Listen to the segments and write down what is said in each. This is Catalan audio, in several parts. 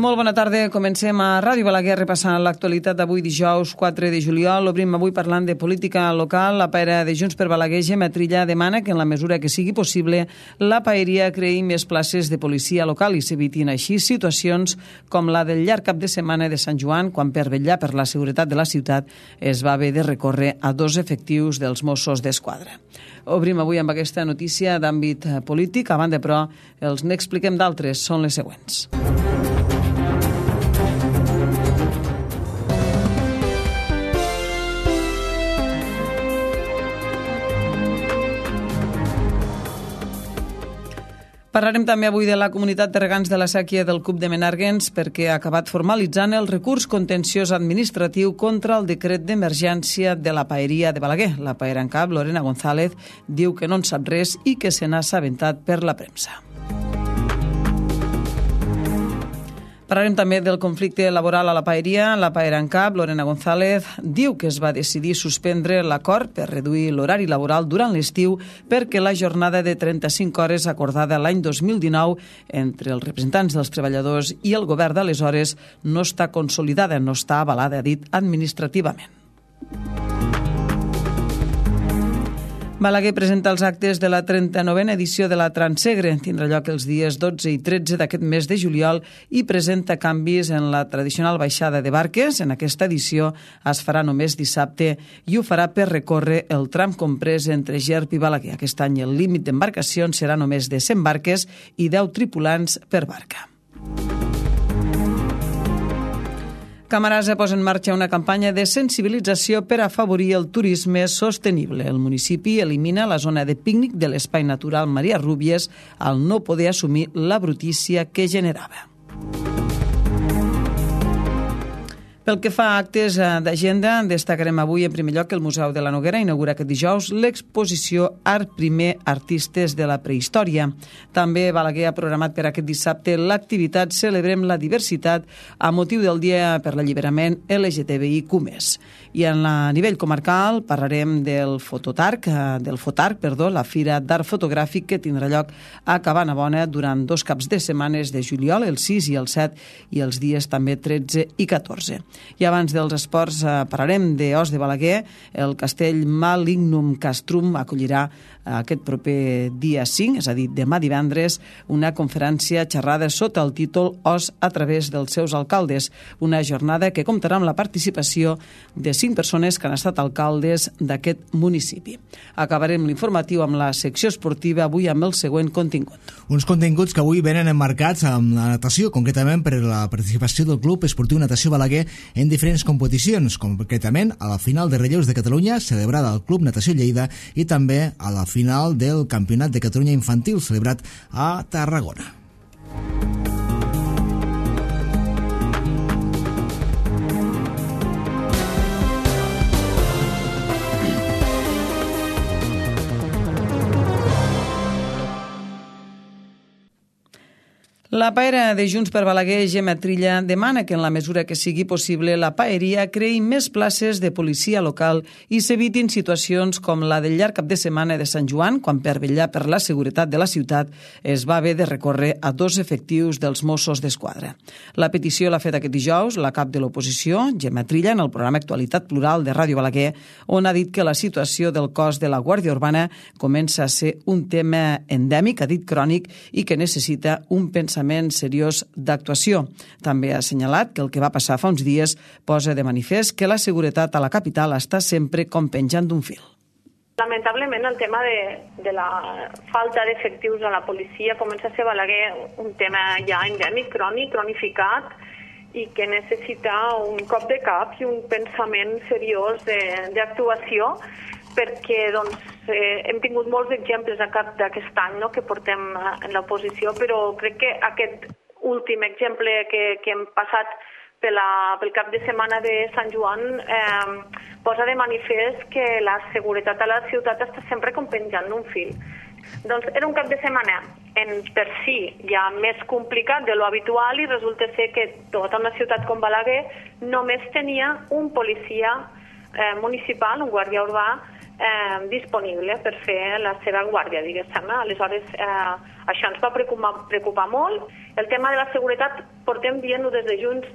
Molt bona tarda. Comencem a Ràdio Balaguer repassant l'actualitat d'avui dijous 4 de juliol. Obrim avui parlant de política local. La paera de Junts per Balaguer, Gemma Trilla, demana que en la mesura que sigui possible la paeria creï més places de policia local i s'evitin així situacions com la del llarg cap de setmana de Sant Joan, quan per vetllar per la seguretat de la ciutat es va haver de recórrer a 2 efectius dels Mossos d'Esquadra. Obrim avui amb aquesta notícia d'àmbit polític. A banda, però, els n'expliquem d'altres. Són les següents. Parlarem també avui de la comunitat de regants de la Sèquia del CUP de Menàrguens perquè ha acabat formalitzant el recurs contenciós administratiu contra el decret d'emergència de la paeria de Balaguer. La paera en cap, Lorena González, diu que no en sap res i que se n'ha assabentat per la premsa. Parlarem també del conflicte laboral a la paeria. La paera en cap, Lorena González, diu que es va decidir suspendre l'acord per reduir l'horari laboral durant l'estiu perquè la jornada de 35 hores acordada l'any 2019 entre els representants dels treballadors i el govern d'aleshores no està consolidada, no està avalada, ha dit, administrativament. Balaguer presenta els actes de la 39a edició de la Transsegre. Tindrà lloc els dies 12 i 13 d'aquest mes de juliol i presenta canvis en la tradicional baixada de barques. En aquesta edició es farà només dissabte i ho farà per recórrer el tram comprès entre Gerp i Balaguer. Aquest any el límit d'embarcacions serà només de 100 barques i 10 tripulants per barca. Camarasa posa en marxa una campanya de sensibilització per afavorir el turisme sostenible. El municipi elimina la zona de pícnic de l'Espai Natural Maria Rúbies al no poder assumir la brutícia que generava. Pel que fa a actes d'agenda, destacarem avui en primer lloc que el Museu de la Noguera inaugura aquest dijous l'exposició Art Primer, Artistes de la Prehistòria. També Balaguer ha programat per aquest dissabte l'activitat Celebrem la Diversitat a motiu del Dia per l'Alliberament LGTBIQ+. I a nivell comarcal parlarem del FOTARC, la Fira d'Art Fotogràfic, que tindrà lloc a Cabanabona durant 2 caps de setmanes de juliol, el 6 i el 7, i els dies també 13 i 14. I abans dels esports parlarem d'Os de Balaguer. El castell Malignum Castrum acollirà aquest proper dia 5, és a dir, demà divendres, una conferència xerrada sota el títol Os a través dels seus alcaldes, una jornada que comptarà amb la participació de 5 persones que han estat alcaldes d'aquest municipi. Acabarem l'informatiu amb la secció esportiva, avui amb el següent contingut. Uns continguts que avui venen emmarcats amb la natació, concretament per la participació del Club Esportiu Natació Balaguer en diferents competicions, concretament a la final de relleus de Catalunya celebrada al Club Natació Lleida i també a la final del Campionat de Catalunya Infantil celebrat a Tarragona. La paera de Junts per Balaguer, Gemma Trilla, demana que en la mesura que sigui possible la paeria creï més places de policia local i s'evitin situacions com la del llarg cap de setmana de Sant Joan, quan per vetllar per la seguretat de la ciutat es va haver de recórrer a 2 efectius dels Mossos d'Esquadra. La petició l'ha fet aquest dijous la cap de l'oposició, Gemma Trilla, en el programa Actualitat Plural de Ràdio Balaguer, on ha dit que la situació del cos de la Guàrdia Urbana comença a ser un tema endèmic, ha dit crònic, i que necessita un pensament seriós d'actuació. També ha assenyalat que el que va passar fa uns dies posa de manifest que la seguretat a la capital està sempre com penjant d'un fil. Lamentablement el tema de la falta d'efectius a la policia comença a ser Balaguer un tema ja endèmic, crònic, cronificat, i que necessita un cop de cap i un pensament seriós d'actuació, perquè hem tingut molts exemples a cap d'aquest any que portem en l'oposició, però crec que aquest últim exemple que hem passat pel cap de setmana de Sant Joan posa de manifest que la seguretat a la ciutat està sempre com penjant d'un fil. Doncs era un cap de setmana per si ja més complicat de lo habitual i resulta ser que tota una ciutat com Balaguer només tenia un policia municipal, un guàrdia urbà, disponible per fer la seva guàrdia, diguéssim. Aleshores, això ens va preocupar molt. El tema de la seguretat portem dient-ho des de Junts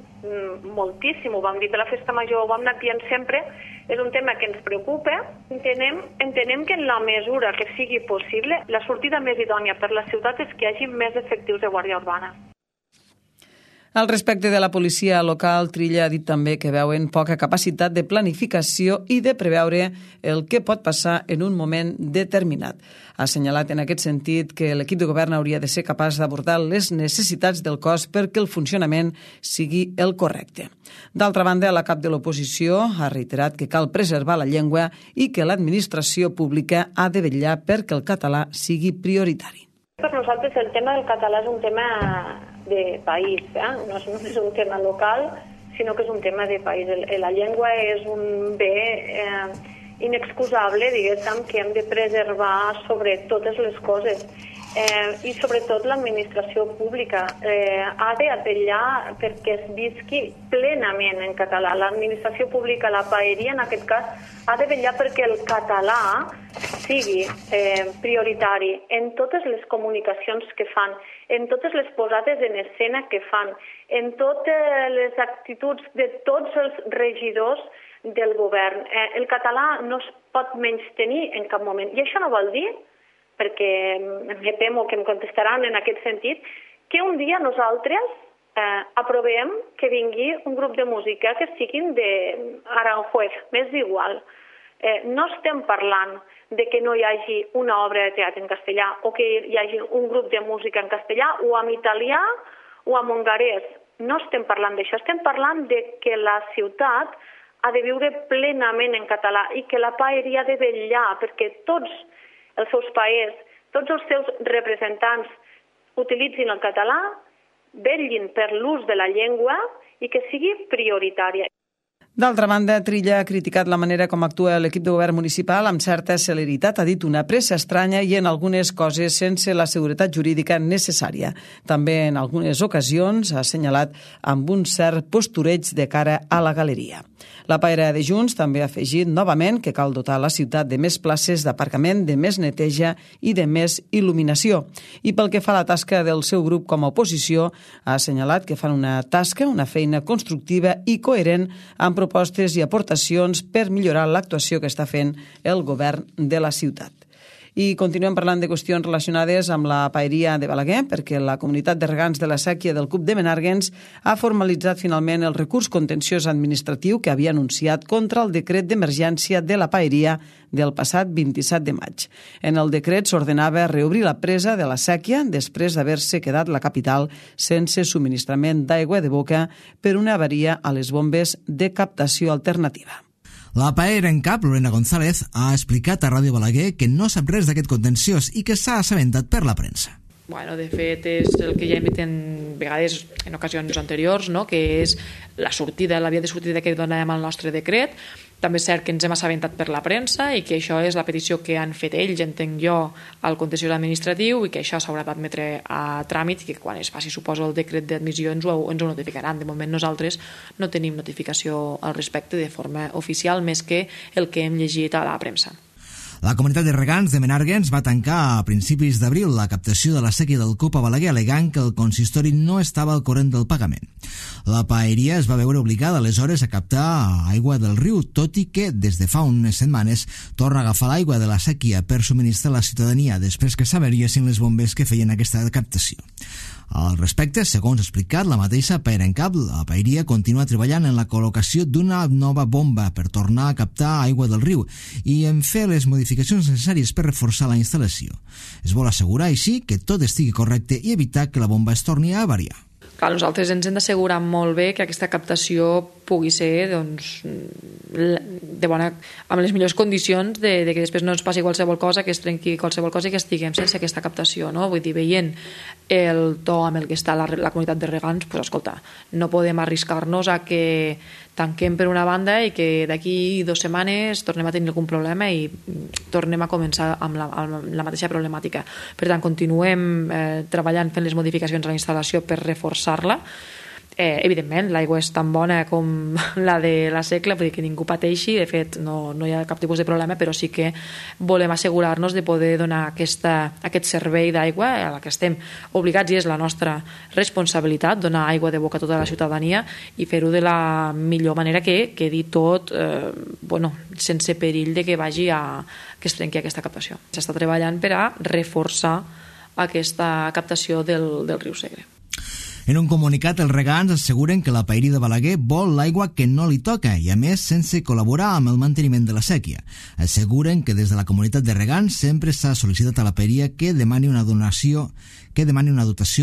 moltíssim, ho vam dir a la Festa Major, ho vam anar dient sempre, és un tema que ens preocupa. Entenem que en la mesura que sigui possible, la sortida més idònia per la ciutat és que hi hagi més efectius de guàrdia urbana. Al respecte de la policia local, Trilla ha dit també que veuen poca capacitat de planificació i de preveure el que pot passar en un moment determinat. Ha assenyalat en aquest sentit que l'equip de govern hauria de ser capaç d'abordar les necessitats del cos perquè el funcionament sigui el correcte. D'altra banda, la cap de l'oposició ha reiterat que cal preservar la llengua i que l'administració pública ha de vetllar perquè el català sigui prioritari. Per nosaltres el tema del català és un tema de país, no és només un tema local, sinó que és un tema de país. La llengua és un bé inexcusable, diguéssim, que hem de preservar sobre totes les coses. I sobretot l'administració pública ha de vetllar perquè es visqui plenament en català. L'administració pública, la paeria en aquest cas, ha de vetllar perquè el català sigui prioritari en totes les comunicacions que fan, en totes les posades en escena que fan, en totes les actituds de tots els regidors del govern. El català no es pot menystenir en cap moment. I això no vol dir, perquè me temo que em contestaran en aquest sentit, que un dia nosaltres aprovem que vingui un grup de música que siguin d'Aranjuez, m'és igual. No estem parlant de que no hi hagi una obra de teatre en castellà o que hi hagi un grup de música en castellà o en italià o en hongarès. No estem parlant d'això, estem parlant de que la ciutat ha de viure plenament en català i que la paeria ha de vetllar perquè tots els seus paers, tots els seus representants utilitzin el català, vetllin per l'ús de la llengua i que sigui prioritària. D'altra banda, Trilla ha criticat la manera com actua l'equip de govern municipal amb certa celeritat, ha dit una pressa estranya i en algunes coses sense la seguretat jurídica necessària. També en algunes ocasions ha assenyalat amb un cert postureig de cara a la galeria. La paera de Junts també ha afegit novament que cal dotar la ciutat de més places d'aparcament, de més neteja i de més il·luminació. I pel que fa a la tasca del seu grup com a oposició, ha assenyalat que fan una tasca, una feina constructiva i coherent amb propostes i aportacions per millorar l'actuació que està fent el govern de la ciutat. I continuem parlant de qüestions relacionades amb la paeria de Balaguer, perquè la comunitat de regants de la Sèquia del CUP de Menàrguens ha formalitzat finalment el recurs contenciós administratiu que havia anunciat contra el decret d'emergència de la paeria del passat 27 de maig. En el decret s'ordenava reobrir la presa de la Sèquia després d'haver-se quedat la capital sense subministrament d'aigua de boca per una avaria a les bombes de captació alternativa. La paera en cap, Lorena González, ha explicat a Ràdio Balaguer que no sap res d'aquest contenciós i que s'ha assabentat per la premsa. Bueno, de fet, és el que ja hem dit en vegades en ocasions anteriors, no? Que és la sortida, la via de sortida que donàvem al nostre decret. També és cert que ens hem assabentat per la premsa i que això és la petició que han fet ells, entenc jo, al contenciós administratiu i que això s'haurà d'admetre a tràmit i que quan es faci, suposo, el decret d'admissió ens ho notificaran. De moment nosaltres no tenim notificació al respecte de forma oficial més que el que hem llegit a la premsa. La comunitat de regants de Menàrguens va tancar a principis d'abril la captació de la sèquia del CUP a Balaguer al·legant que el consistori no estava al corrent del pagament. La paeria es va veure obligada aleshores a captar aigua del riu, tot i que des de fa unes setmanes torna a agafar l'aigua de la sèquia per subministrar a la ciutadania després que s'avariessin les bombes que feien aquesta captació. Al respecte, segons ha explicat la mateixa paera en cap, la paeria continua treballant en la col·locació d'una nova bomba per tornar a captar aigua del riu i en fer les modificacions necessàries per reforçar la instal·lació. Es vol assegurar així que tot estigui correcte i evitar que la bomba es torni a avariar. Clar, nosaltres ens hem d'assegurar molt bé que aquesta captació pugui ser doncs, de bona, amb les millors condicions de que després no ens passi qualsevol cosa, que es trenqui qualsevol cosa i que estiguem sense aquesta captació, no? Vull dir, veient el to amb el que està la comunitat de regants, doncs, escolta, no podem arriscar-nos a que tanquem per una banda i que d'aquí 2 setmanes tornem a tenir algun problema i tornem a començar amb la mateixa problemàtica. Per tant, continuem treballant fent les modificacions a la instal·lació per reforçar-la. Evidentment, l'aigua és tan bona com la de la segle, vull dir que ningú pateixi, de fet no hi ha cap tipus de problema, però sí que volem assegurar-nos de poder donar aquest servei d'aigua a la que estem obligats i és la nostra responsabilitat, donar aigua de boca a tota la ciutadania i fer-ho de la millor manera que quedi tot sense perill de que que es trenqui aquesta captació. S'està treballant per a reforçar aquesta captació del riu Segre. En un comunicat, els regants asseguren que la Paeria de Balaguer vol l'aigua que no li toca i, a més, sense col·laborar amb el manteniment de la sèquia. Asseguren que des de la comunitat de regants sempre s'ha sol·licitat a la Paeria que demani una dotació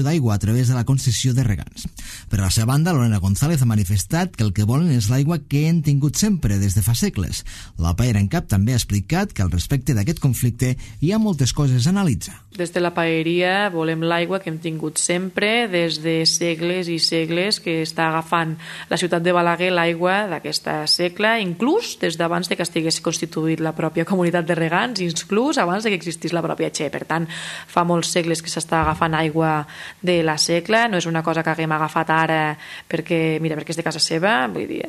d'aigua a través de la concessió de regants. Per la seva banda, Lorena González ha manifestat que el que volen és l'aigua que hem tingut sempre des de fa segles. La Paera en Cap també ha explicat que al respecte d'aquest conflicte hi ha moltes coses a analitzar. Des de la Paeria volem l'aigua que hem tingut sempre, des de segles i segles que està agafant la ciutat de Balaguer l'aigua d'aquesta segle, inclús des d'abans de que estigués constituït la pròpia comunitat de regants, inclús abans de que existís la pròpia Che. Per tant, fa molts segles que s'està agafant aigua de la segle, no és una cosa que haguem agafat ara perquè és de casa seva, vull dir,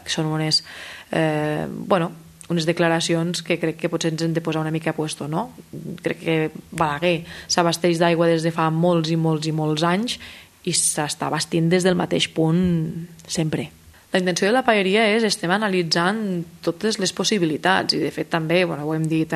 són unes declaracions que crec que potser ens hem de posar una mica a puesto, no? Crec que Balaguer s'abasteix d'aigua des de fa molts i molts i molts anys i s'està abastint des del mateix punt sempre. La intenció de la Paeria estem analitzant totes les possibilitats i de fet també, ho hem dit,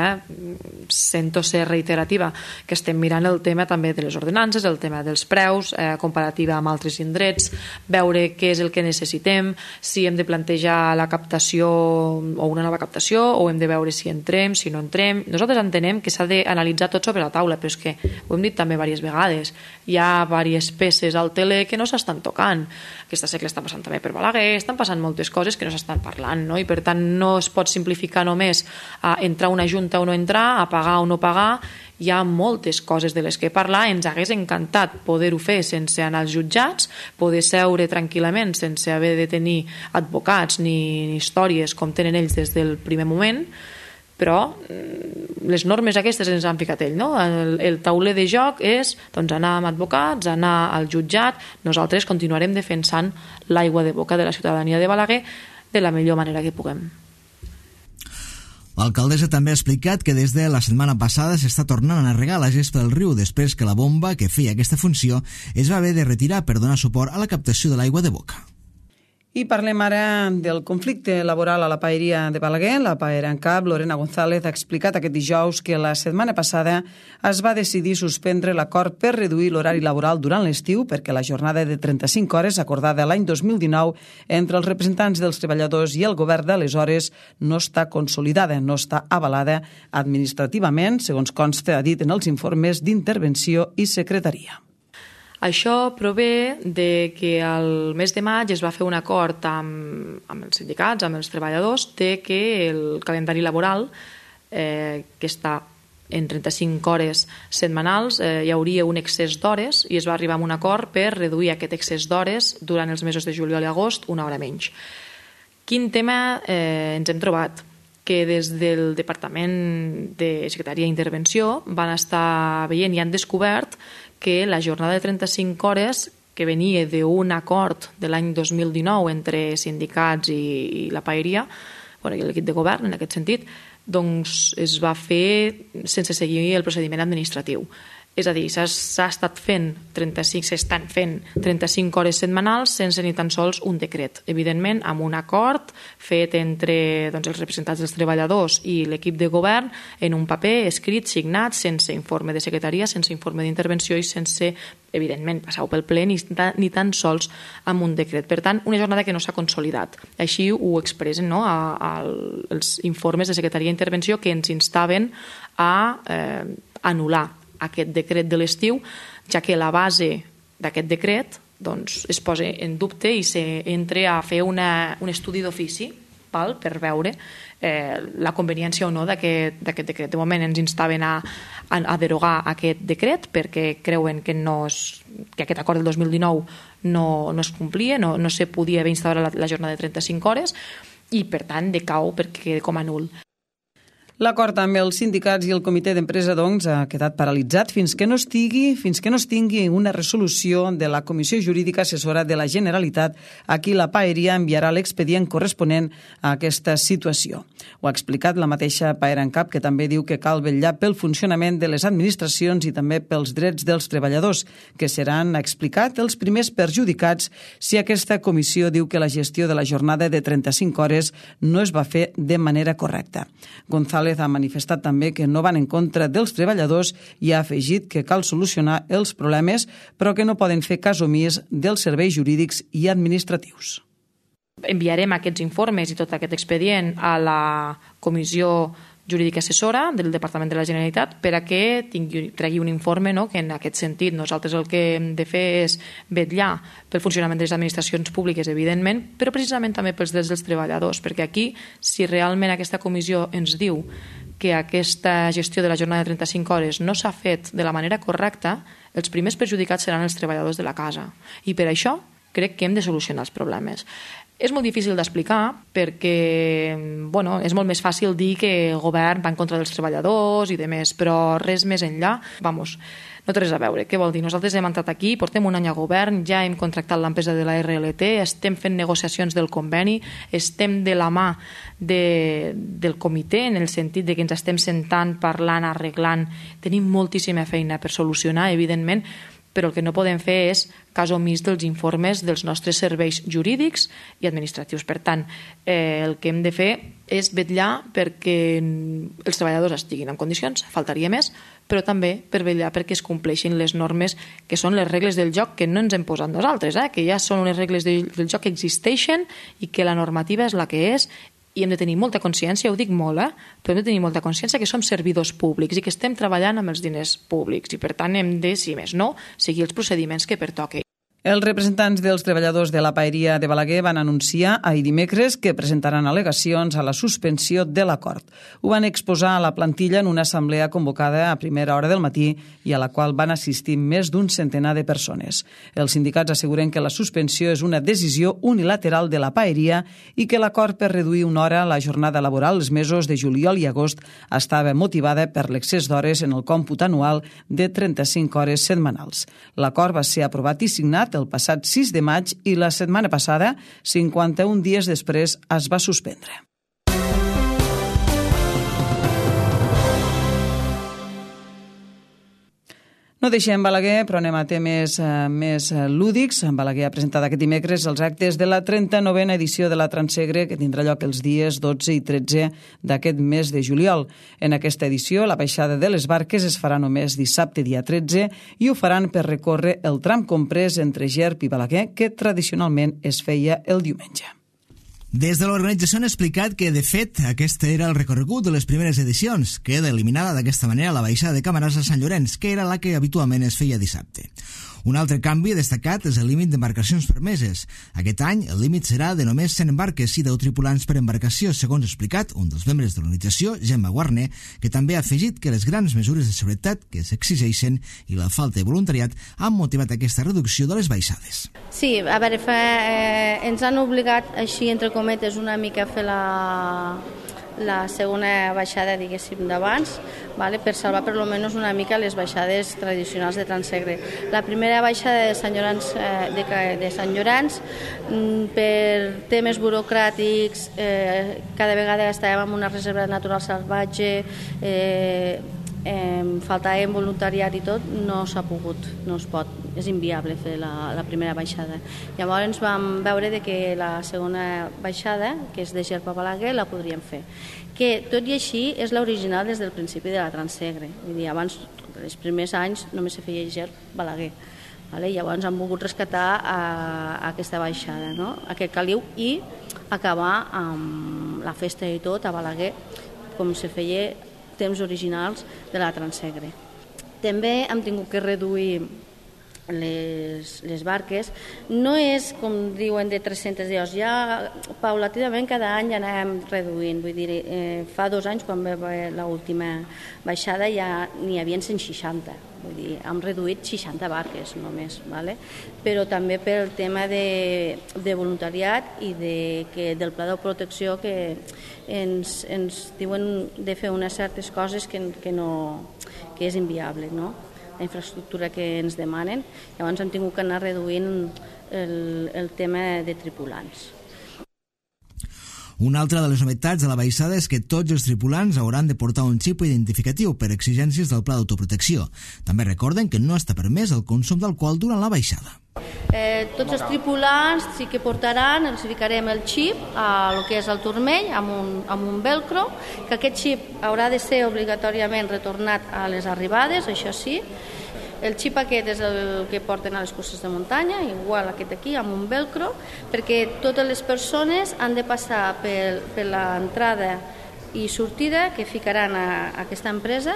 sento ser reiterativa, que estem mirant el tema també de les ordenances, el tema dels preus, comparativa amb altres indrets, veure què és el que necessitem, si hem de plantejar la captació o una nova captació o hem de veure si entrem, si no entrem. Nosaltres entenem que s'ha d'analitzar tot sobre la taula, però és que ho hem dit també diverses vegades, hi ha diverses peces al teler que no s'estan tocant. Aquesta segle està passant també per Balaguer, estan passant moltes coses que no s'estan parlant, no? I per tant no es pot simplificar només a entrar una junta o no entrar, a pagar o no pagar. Hi ha moltes coses de les que parlar. Ens hagués encantat poder-ho fer sense anar als jutjats, poder seure tranquil·lament sense haver de tenir advocats ni històries com tenen ells des del primer moment, però les normes aquestes ens han ficat ell, no? El tauler de joc és anar amb advocats, anar al jutjat. Nosaltres continuarem defensant l'aigua de boca de la ciutadania de Balaguer de la millor manera que puguem. L'alcaldessa també ha explicat que des de la setmana passada s'està tornant a regar la gespa del riu després que la bomba que feia aquesta funció es va haver de retirar per donar suport a la captació de l'aigua de boca. I parlem ara del conflicte laboral a la Paeria de Balaguer. La Paera en Cap, Lorena González, ha explicat aquest dijous que la setmana passada es va decidir suspendre l'acord per reduir l'horari laboral durant l'estiu perquè la jornada de 35 hores acordada l'any 2019 entre els representants dels treballadors i el govern d'aleshores no està consolidada, no està avalada administrativament, segons consta, ha dit en els informes d'intervenció i secretaria. Això prové de que al mes de maig es va fer un acord amb els sindicats, amb els treballadors, de que el calendari laboral, que està en 35 hores setmanals, hi hauria un excés d'hores i es va arribar a un acord per reduir aquest excés d'hores durant els mesos de juliol i agost una hora menys. Quin tema ens hem trobat? Que des del Departament de Secretaria i Intervenció van estar veient i han descobert que la jornada de 35 hores que venia d'un acord de l'any 2019 entre sindicats i la Paeria, i l'equip de govern en aquest sentit, doncs es va fer sense seguir el procediment administratiu. És a dir, s'estan fent 35 hores setmanals sense ni tan sols un decret. Evidentment, amb un acord fet entre els representants dels treballadors i l'equip de govern en un paper escrit, signat, sense informe de secretaria, sense informe d'intervenció i sense, evidentment, passar-ho pel ple ni tan sols amb un decret. Per tant, una jornada que no s'ha consolidat. Així ho expressen els informes de secretaria i intervenció que ens instaven a anul·lar aquest decret de l'estiu, ja que la base d'aquest decret es posa en dubte i s'entra a fer un estudi d'ofici per veure la conveniència o no d'aquest decret. De moment ens instaven a derogar aquest decret perquè creuen que aquest acord del 2019 no es complia, no se podia haver instaurat la jornada de 35 hores i per tant decau perquè queda com a nul. L'acord amb els sindicats i el comitè d'empresa, doncs, ha quedat paralitzat fins que no es tingui una resolució de la Comissió Jurídica Assessora de la Generalitat a qui la Paeria enviarà l'expedient corresponent a aquesta situació. Ho ha explicat la mateixa Paera en Cap, que també diu que cal vetllar pel funcionament de les administracions i també pels drets dels treballadors, que seran, ha explicat, els primers perjudicats si aquesta comissió diu que la gestió de la jornada de 35 hores no es va fer de manera correcta. González ha manifestat també que no van en contra dels treballadors i ha afegit que cal solucionar els problemes, però que no poden fer cas omís dels serveis jurídics i administratius. Enviarem aquests informes i tot aquest expedient a la Comissió Jurídica Assessora del Departament de la Generalitat per a que tregui un informe, no? Que en aquest sentit nosaltres el que hem de fer és vetllar pel funcionament de les administracions públiques, evidentment, però precisament també pels drets dels treballadors, perquè aquí, si realment aquesta comissió ens diu que aquesta gestió de la jornada de 35 hores no s'ha fet de la manera correcta, els primers perjudicats seran els treballadors de la casa. I per això crec que hem de solucionar els problemes. És molt difícil d'explicar perquè és molt més fàcil dir que el govern va en contra dels treballadors i demés, però res més enllà, no té res a veure. Què vol dir? Nosaltres hem entrat aquí, portem un any a govern, ja hem contractat l'empresa de la RLT, estem fent negociacions del conveni, estem de la mà del comitè en el sentit de que ens estem sentant, parlant, arreglant, tenim moltíssima feina per solucionar, evidentment, però el que no podem fer és cas omís dels informes dels nostres serveis jurídics i administratius. Per tant, el que hem de fer és vetllar perquè els treballadors estiguin en condicions, faltaria més, però també per vetllar perquè es compleixin les normes que són les regles del joc que no ens hem posat nosaltres, que ja són unes regles del joc que existeixen i que la normativa és la que és, i hem de tenir molta consciència, ho dic molt, però hem de tenir molta consciència que som servidors públics i que estem treballant amb els diners públics i per tant hem de, si més no, seguir els procediments que pertoquen. Els representants dels treballadors de la Paeria de Balaguer van anunciar ahir dimecres que presentaran al·legacions a la suspensió de l'acord. Ho van exposar a la plantilla en una assemblea convocada a primera hora del matí i a la qual van assistir més d'un centenar de persones. Els sindicats asseguren que la suspensió és una decisió unilateral de la Paeria i que l'acord per reduir una hora la jornada laboral els mesos de juliol i agost estava motivada per l'excés d'hores en el còmput anual de 35 hores setmanals. L'acord va ser aprovat i signat el passat 6 de maig i la setmana passada, 51 dies després, es va suspendre. No deixem Balaguer, però anem a temes més lúdics. Balaguer ha presentat aquest dimecres els actes de la 39a edició de la Transegre, que tindrà lloc els dies 12 i 13 d'aquest mes de juliol. En aquesta edició, la baixada de les barques es farà només dissabte, dia 13, i ho faran per recórrer el tram comprès entre Gerp i Balaguer, que tradicionalment es feia el diumenge. Des de l'organització han explicat que, de fet, aquest era el recorregut de les primeres edicions. Queda eliminada d'aquesta manera la baixada de Camarasa a Sant Llorenç, que era la que habitualment es feia dissabte. Un altre canvi destacat és el límit d'embarcacions permeses. Aquest any el límit serà de només 100 embarques i 10 tripulants per embarcació, segons ha explicat un dels membres de l'organització, Gemma Guarner, que també ha afegit que les grans mesures de seguretat que s'exigeixen i la falta de voluntariat han motivat aquesta reducció de les baixades. Sí, a veure, ens han obligat, així entre cometes, una mica a fer la segona baixada, diguéssim, d'abans, per salvar per almenys una mica les baixades tradicionals de Transegre. La primera baixada de Sant Llorenç, per temes burocràtics, cada vegada estàvem en una reserva natural salvatge, faltava voluntariat i tot, no s'ha pogut, no es pot, és inviable fer la primera baixada. Llavors vam veure que la segona baixada, que és de Gerp a Balaguer, la podríem fer. Que tot i així és l'original des del principi de la Transegre. Vull dir, abans, els primers anys, només se feia Gerp-Balaguer. Llavors han volgut rescatar aquesta baixada, aquest caliu, i acabar amb la festa i tot a Balaguer, com se feia temps originals de la Transegre. També hem tingut que reduir les barques. No és, com diuen, de 300 dies. Ja paulatinament cada any ja anem reduint. Vull dir, fa 2 anys, quan va haver l'última baixada, ja n'hi havia 160 vull dir, hem reduït 60 barques només, ¿vale? Però també pel tema de voluntariat i del pla de protecció que ens diuen de fer unes certes coses que és inviable, no? La infraestructura que ens demanen. Llavors hem tingut que anar reduint el tema de tripulants. Una altra de les novetats de la baixada és que tots els tripulants hauran de portar un xip identificatiu per exigències del pla d'autoprotecció. També recorden que no està permès el consum d'alcohol durant la baixada. Tots els tripulants sí que portaran, els ficarem el xip a lo que és el turmell amb un velcro, que aquest xip haurà de ser obligatòriament retornat a les arribades, això sí. El xip aquest és el que porten a les curses de muntanya, igual aquest aquí, amb un velcro, perquè totes les persones han de passar per l'entrada i sortida que ficaran a aquesta empresa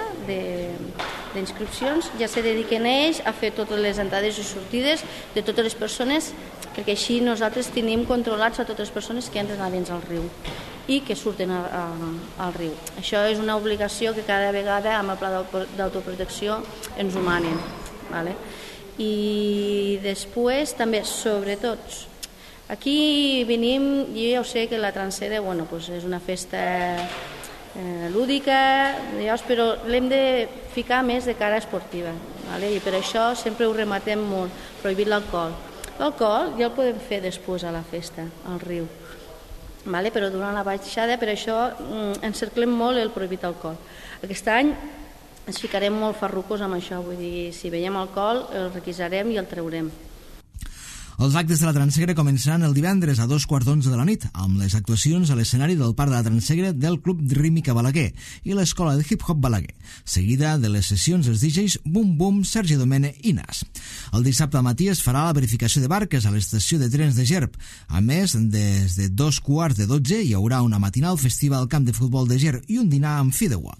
d'inscripcions, ja se dediquen ells a fer totes les entrades i sortides de totes les persones, perquè així nosaltres tenim controlats a totes les persones que entren a dins al riu i que surten al riu. Això és una obligació que cada vegada amb el pla d'autoprotecció ens ho manen. ¿Vale? I després també, sobretot, aquí venim, jo ja ho sé que la Trancera és una festa lúdica, però l'hem de ficar més de cara esportiva, ¿vale? I per això sempre ho rematem molt, prohibir l'alcohol. L'alcohol ja el podem fer després a la festa, al riu, ¿vale? Però durant la baixada, per això encerclem molt el prohibit alcohol. Aquest any ens ficarem molt farrucos amb això, vull dir, si veiem alcohol el requisarem i el traurem. Els actes de la Transegre començaran el divendres a 2:15 de la nit, amb les actuacions a l'escenari del Parc de la Transegre del Club Rítmica Balaguer i l'Escola de Hip Hop Balaguer, seguida de les sessions dels DJs Boom Boom, Sergi Domene i Nas. El dissabte al matí es farà la verificació de barques a l'estació de trens de Gerb. A més, des de 2:15 hi haurà una matinal festiva al camp de futbol de Gerb i un dinar amb fideuà.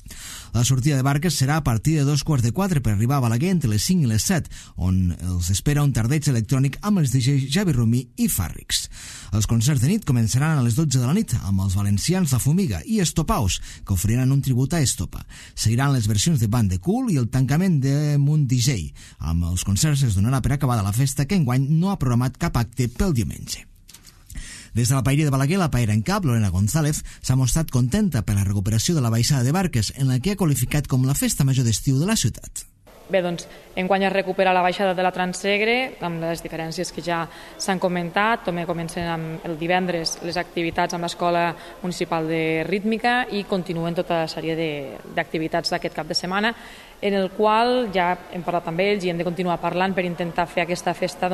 La sortida de barques serà a partir de 3:15 per arribar a Balaguer entre les 5 i les 7, on els espera un tardeig electrònic amb els DJs Javi Romí i Fàrrics. Els concerts de nit començaran a les 12 de la nit amb els valencians La Fumiga i Estopaus, que oferiran un tribut a Estopa. Seguiran les versions de Band de Cool i el tancament de Munt DJ. Amb els concerts es donarà per acabada la festa, que enguany no ha programat cap acte pel diumenge. Des de la Paeria de Balaguer, la paera en cap, Lorena González, s'ha mostrat contenta per la recuperació de la baixada de barques, en la que ha qualificat com la festa major d'estiu de la ciutat. Bé, doncs, enguany es recupera la baixada de la Transsegre, amb les diferències que ja s'han comentat. També comencen amb el divendres les activitats amb l'Escola Municipal de Rítmica i continuen tota la sèrie d'activitats d'aquest cap de setmana, en el qual ja hem parlat amb ells i hem de continuar parlant per intentar fer aquesta festa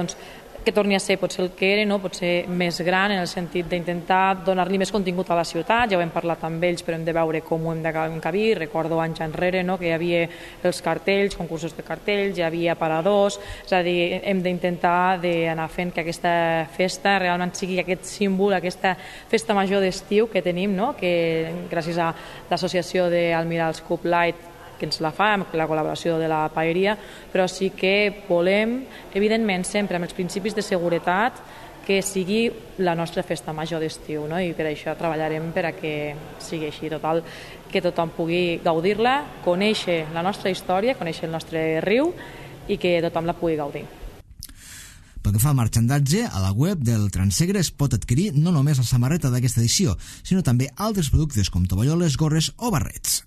que torni a ser potser el que era, no? Potser més gran, en el sentit d'intentar donar-li més contingut a la ciutat. Ja ho hem parlat amb ells, però hem de veure com ho hem d'encabir. Recordo anys enrere, no? Que hi havia els cartells, concursos de cartells, hi havia paradors, és a dir, hem d'intentar anar fent que aquesta festa realment sigui aquest símbol, aquesta festa major d'estiu que tenim, no? Que gràcies a l'associació d'Almirals Cup Light que ens la fa, amb la col·laboració de la paeria, però sí que volem, evidentment, sempre amb els principis de seguretat, que sigui la nostra festa major d'estiu, no? I per això treballarem per a que sigui així, total, que tothom pugui gaudir-la, conèixer la nostra història, conèixer el nostre riu i que tothom la pugui gaudir. Pel que fa al marxandatge, a la web del Transsegre es pot adquirir no només la samarreta d'aquesta edició, sinó també altres productes com tovalloles, gorres o barrets.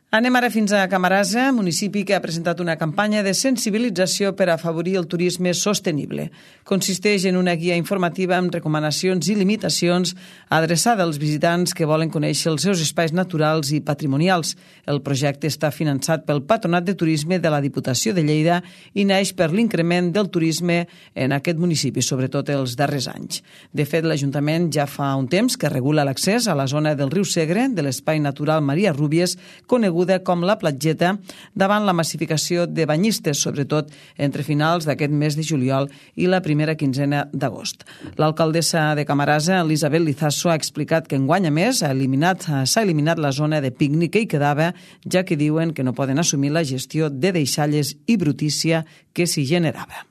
Anem ara fins a Camarasa, municipi que ha presentat una campanya de sensibilització per afavorir el turisme sostenible. Consisteix en una guia informativa amb recomanacions i limitacions adreçada als visitants que volen conèixer els seus espais naturals i patrimonials. El projecte està finançat pel Patronat de Turisme de la Diputació de Lleida i naix per l'increment del turisme en aquest municipi, sobretot els darrers anys. De fet, l'Ajuntament ja fa un temps que regula l'accés a la zona del riu Segre, de l'espai natural Maria Rúbies, coneguda com la Platgeta, davant la massificació de banyistes, sobretot entre finals d'aquest mes de juliol i la primera quinzena d'agost. L'alcaldessa de Camarasa, Elisabet Lizaso, ha explicat que enguany a més s'ha eliminat la zona de pícnic que hi quedava, ja que diuen que no poden assumir la gestió de deixalles i brutícia que s'hi generava.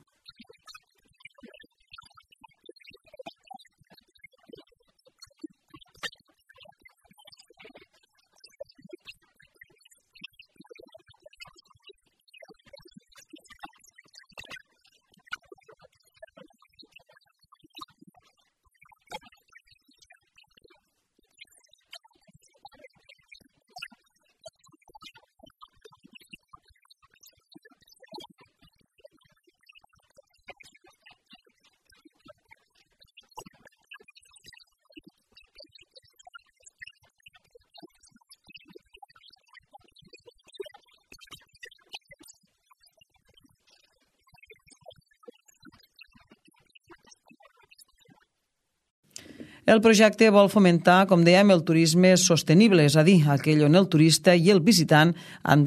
El projecte vol fomentar, com dèiem, el turisme sostenible, és a dir, aquell on el turista i el visitant s'han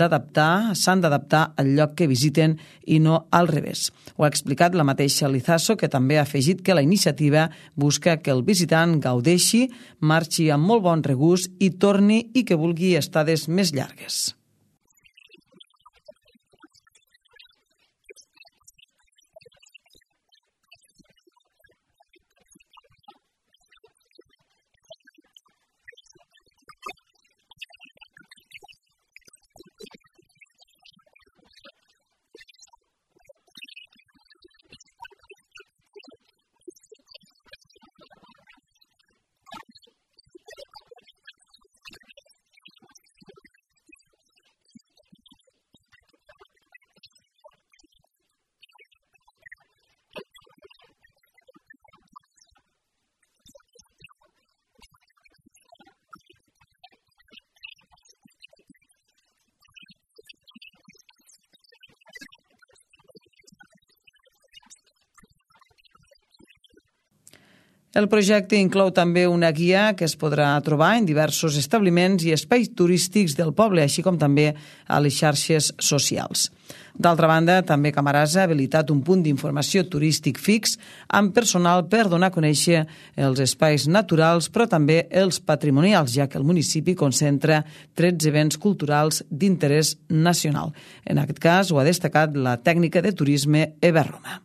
d'adaptar al lloc que visiten i no al revés. Ho ha explicat la mateixa Lizaso, que també ha afegit que la iniciativa busca que el visitant gaudeixi, marxi amb molt bon regust i torni i que vulgui estades més llargues. El projecte inclou també una guia que es podrà trobar en diversos establiments i espais turístics del poble, així com també a les xarxes socials. D'altra banda, també Camarasa ha habilitat un punt d'informació turístic fix amb personal per donar a conèixer els espais naturals, però també els patrimonials, ja que el municipi concentra 13 béns culturals d'interès nacional. En aquest cas, ho ha destacat la tècnica de turisme Eva Roma.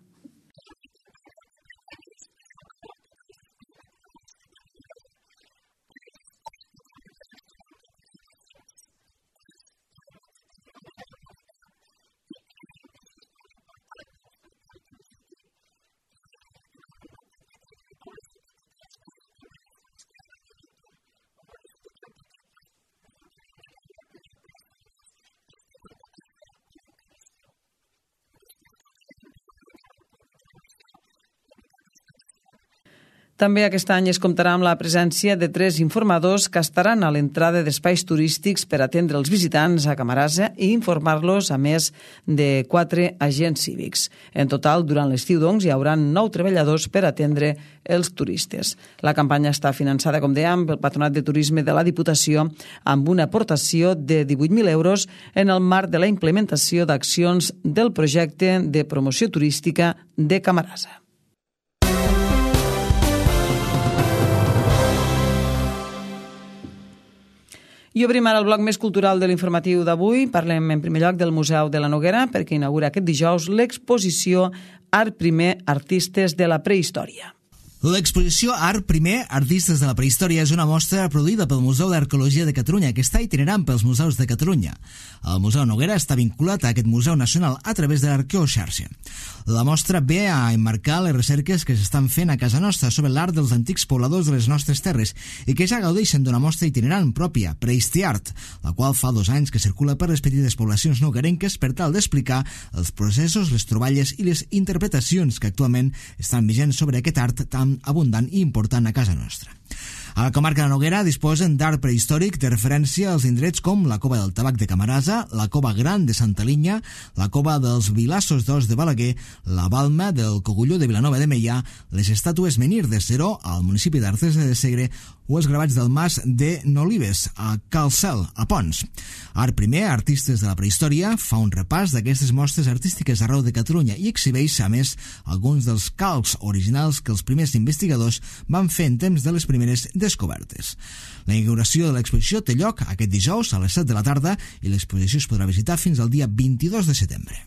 També aquest any es comptarà amb la presència de 3 informadors que estaran a l'entrada d'espais turístics per atendre els visitants a Camarasa i informar-los, a més de 4 agents cívics. En total, durant l'estiu, doncs, hi haurà 9 treballadors per atendre els turistes. La campanya està finançada, com dèiem, pel Patronat de Turisme de la Diputació amb una aportació de 18.000 euros en el marc de la implementació d'accions del projecte de promoció turística de Camarasa. I obrim ara el bloc més cultural de l'informatiu d'avui. Parlem en primer lloc del Museu de la Noguera, perquè inaugura aquest dijous l'exposició Art Primer, Artistes de la Prehistòria. L'exposició Art Primer, Artistes de la Prehistòria és una mostra produïda pel Museu d'Arqueologia de Catalunya, que està itinerant pels museus de Catalunya. El Museu Noguera està vinculat a aquest Museu Nacional a través de l'Arqueoxarxa. La mostra ve a emmarcar les recerques que s'estan fent a casa nostra sobre l'art dels antics pobladors de les nostres terres i que ja gaudeixen d'una mostra itinerant pròpia, Prehistiart, la qual fa 2 anys que circula per les petites poblacions noguerenques per tal d'explicar els processos, les troballes i les interpretacions que actualment estan vigents sobre aquest art tan abundant i important a casa nostra. A la comarca de Noguera disposen d'art prehistòric de referència als indrets com la Cova del Tabac de Camarasa, la Cova Gran de Santa Linya, la Cova dels Vilassos d'Os de Balaguer, la Balma del Cogulló de Vilanova de Meià, les estàtues Menhir de Seró al municipi d'Artesa de Segre o els gravats del Mas de Nolives a Calcel, a Pons. Art Primer, Artistes de la Prehistòria, fa un repàs d'aquestes mostres artístiques arreu de Catalunya i exhibeix, a més, alguns dels calcs originals que els primers investigadors van fer en temps de les primeres descobertes. La inauguració de l'exposició té lloc aquest dijous a les 7 de la tarda i l'exposició es podrà visitar fins al dia 22 de setembre.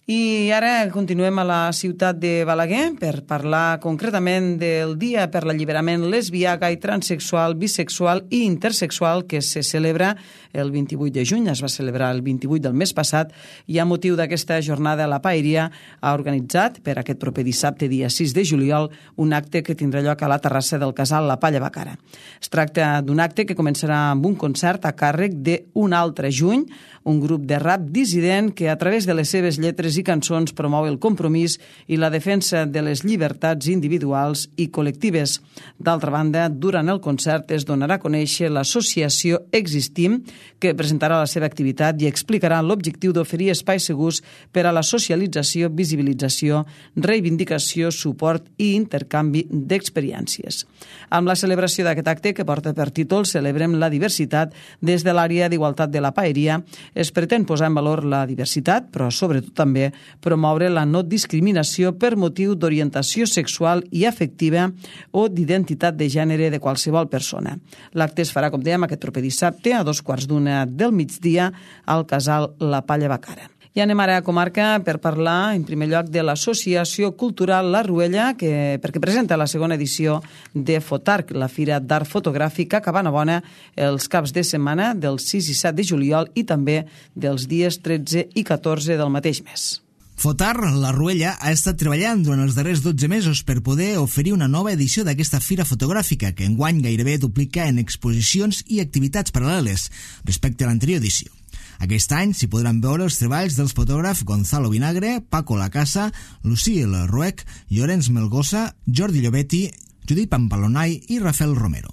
I ara continuem a la ciutat de Balaguer per parlar concretament del Dia per l'Alliberament lesbià, gai, transexual, bisexual i intersexual que se celebra el 28 de juny. Es va celebrar el 28 del mes passat i a motiu d'aquesta jornada la Paeria ha organitzat per aquest proper dissabte, dia 6 de juliol, un acte que tindrà lloc a la terrassa del casal La Palla Bacara. Es tracta d'un acte que començarà amb un concert a càrrec d'Un altre juny, un grup de rap dissident que a través de les seves lletres lletres i cançons promou el compromís i la defensa de les llibertats individuals i col·lectives. D'altra banda, durant el concert es donarà a conèixer l'associació Existim, que presentarà la seva activitat i explicarà l'objectiu d'oferir espais segurs per a la socialització, visibilització, reivindicació, suport i intercanvi d'experiències. Amb la celebració d'aquest acte, que porta per títol Celebrem la diversitat, des de l'àrea d'igualtat de la Paeria, es pretén posar en valor la diversitat, però sobretot també promoure la no discriminació per motiu d'orientació sexual i afectiva o d'identitat de gènere de qualsevol persona. L'acte es farà, com dèiem, aquest proper dissabte a 2:15 del migdia al Casal La Palla Bacara. I anem ara a comarca per parlar, en primer lloc, de l'Associació Cultural La Ruella, perquè presenta la segona edició de Fotarc, la Fira d'Art Fotogràfic a Cabanabona, els caps de setmana del 6 i 7 de juliol i també dels dies 13 i 14 del mateix mes. Fotarc, La Ruella, ha estat treballant durant els darrers 12 mesos per poder oferir una nova edició d'aquesta fira fotogràfica, que enguany gairebé duplica en exposicions i activitats paral·leles respecte a l'anterior edició. Aquest any s'hi podran veure els treballs dels fotògrafs Gonzalo Vinagre, Paco Lacasa, Lucille Ruec, Llorenç Melgosa, Jordi Llobetti, Judit Pampalonay i Rafael Romero.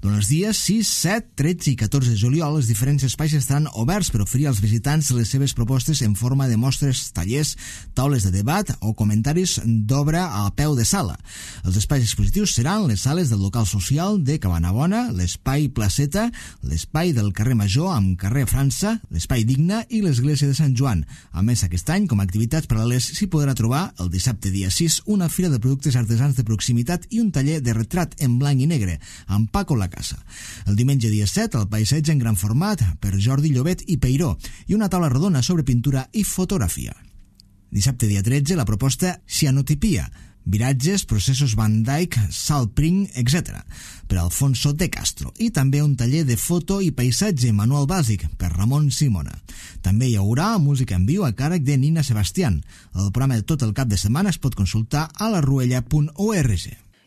Durant els dies 6, 7, 13 i 14 de juliol, els diferents espais estaran oberts per oferir als visitants les seves propostes en forma de mostres, tallers, taules de debat o comentaris d'obra a peu de sala. Els espais expositius seran les sales del local social de Cabanabona, l'espai Placeta, l'espai del carrer Major amb carrer França, l'espai Digne i l'església de Sant Joan. A més, aquest any, com a activitats paral·leles, s'hi podrà trobar el dissabte dia 6 una fira de productes artesans de proximitat i un taller de retrat en blanc i negre amb Paco Lacasa. El diumenge dia 7, el paisatge en gran format per Jordi Llobet i Peiró i una taula rodona sobre pintura i fotografia. Dissabte dia 13, la proposta Cianotipia, viratges, processos Van Dyck, Saltpring, etc. per Alfonso de Castro, i també un taller de foto i paisatge manual bàsic per Ramon Simona. També hi haurà música en viu a càrrec de Nina Sebastián. El programa de tot el cap de setmana es pot consultar a laruella.org.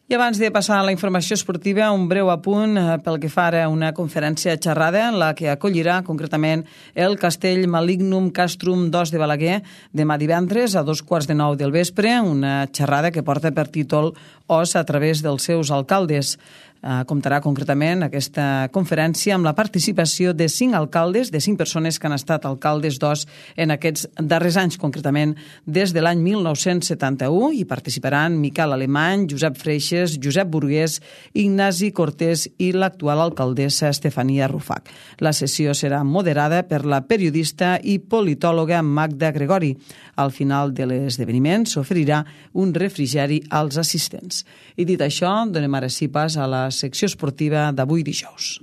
I abans de passar a la informació esportiva, un breu apunt pel que fa ara a una conferència xerrada en la que acollirà concretament el Castell Malignum Castrum 2 de Balaguer demà divendres a 2:15 del vespre, una xerrada que porta per títol Os a través dels seus alcaldes. Comptarà concretament aquesta conferència amb la participació de 5 alcaldes, de 5 persones que han estat alcaldes d'Os en aquests darrers anys, concretament des de l'any 1971, i participaran Miquel Alemany, Josep Freixes, Josep Burgués, Ignasi Cortés i l'actual alcaldessa Estefania Rufac. La sessió serà moderada per la periodista i politòloga Magda Gregori. Al final de l'esdeveniment s'oferirà un refrigeri als assistents. I dit això, donem ara sí pas a la secció esportiva d'avui dijous.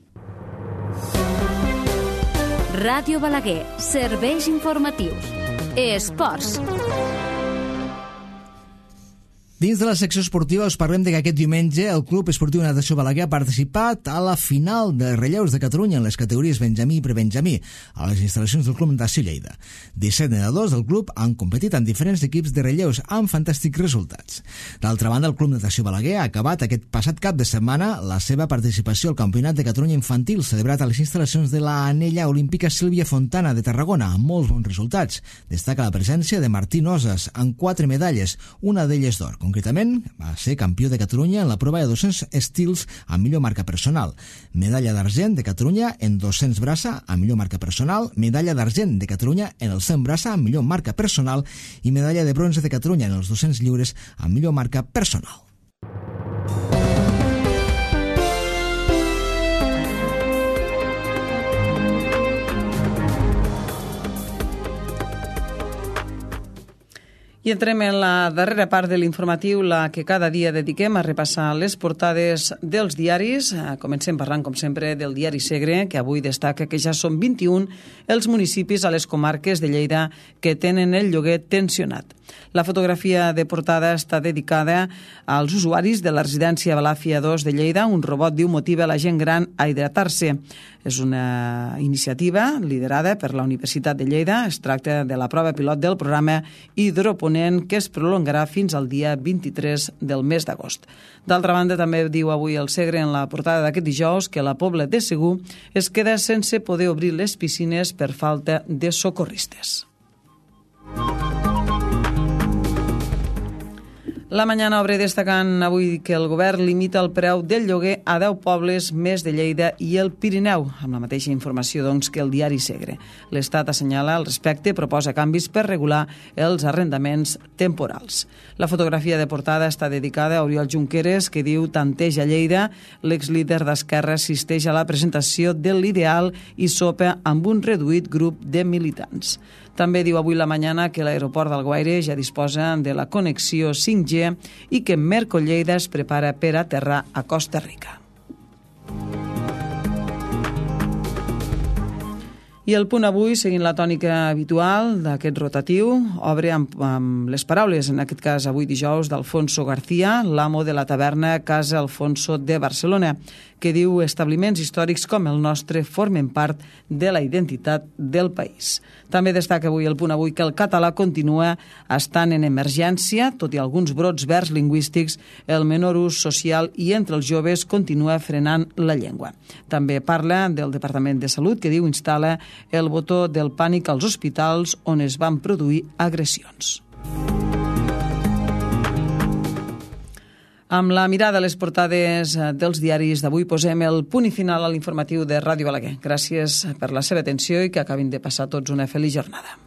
Ràdio Balaguer, serveis informatius. Esports. Dins de la secció esportiva us parlem de que aquest diumenge el Club Esportiu Natació Balaguer ha participat a la final de relleus de Catalunya en les categories Benjamí i Prebenjamí a les instal·lacions del Club Natació Lleida. 17 nedadors del club han competit en diferents equips de relleus amb fantàstics resultats. D'altra banda, el Club Natació Balaguer ha acabat aquest passat cap de setmana la seva participació al Campionat de Catalunya Infantil celebrat a les instal·lacions de la Anella Olímpica Sílvia Fontana de Tarragona amb molts bons resultats. Destaca la presència de Martí Nosas amb 4 medalles, una d'elles d'or. Concretament, va ser campió de Catalunya en la prova de 200 estils amb millor marca personal, medalla d'argent de Catalunya en 200 braça amb millor marca personal, medalla d'argent de Catalunya en el 100 braça amb millor marca personal i medalla de bronze de Catalunya en els 200 lliures amb millor marca personal. I entrem en la darrera part de l'informatiu, la que cada dia dediquem a repassar les portades dels diaris. Comencem parlant, com sempre, del diari Segre, que avui destaca que ja són 21 els municipis a les comarques de Lleida que tenen el lloguer tensionat. La fotografia de portada està dedicada als usuaris de la residència Balàfia 2 de Lleida. Un robot diu motiva la gent gran a hidratar-se. És una iniciativa liderada per la Universitat de Lleida. Es tracta de la prova pilot del programa Hidroponent, que es prolongarà fins al dia 23 del mes d'agost. D'altra banda, també diu avui el Segre en la portada d'aquest dijous que la Pobla de Segur es queda sense poder obrir les piscines per falta de socorristes. La Mañana obre destacant avui que el govern limita el preu del lloguer a 10 pobles més de Lleida i el Pirineu, amb la mateixa informació que el diari Segre. L'Estat assenyala al respecte, proposa canvis per regular els arrendaments temporals. La fotografia de portada està dedicada a Oriol Junqueras, que diu tanteja Lleida. L'exlíder d'Esquerra assisteix a la presentació de l'ideal i sopa amb un reduït grup de militants. També diu avui La Mañana que l'aeroport d'Alguaire ja disposa de la connexió 5G i que Merco Lleida es prepara per aterrar a Costa Rica. I el punt avui, seguint la tònica habitual d'aquest rotatiu, obre amb les paraules, en aquest cas avui dijous, d'Alfonso García, l'amo de la taverna Casa Alfonso de Barcelona, que diu establiments històrics com el nostre formen part de la identitat del país. També destaca avui el punt avui que el català continua estant en emergència, tot i alguns brots verds lingüístics, el menor ús social i entre els joves continua frenant la llengua. També parla del Departament de Salut, que diu instal·la el botó del pànic als hospitals on es van produir agressions. Amb la mirada a les portades dels diaris d'avui posem el punt i final a l'informatiu de Ràdio Balaguer. Gràcies per la seva atenció i que acabin de passar tots una feliç jornada.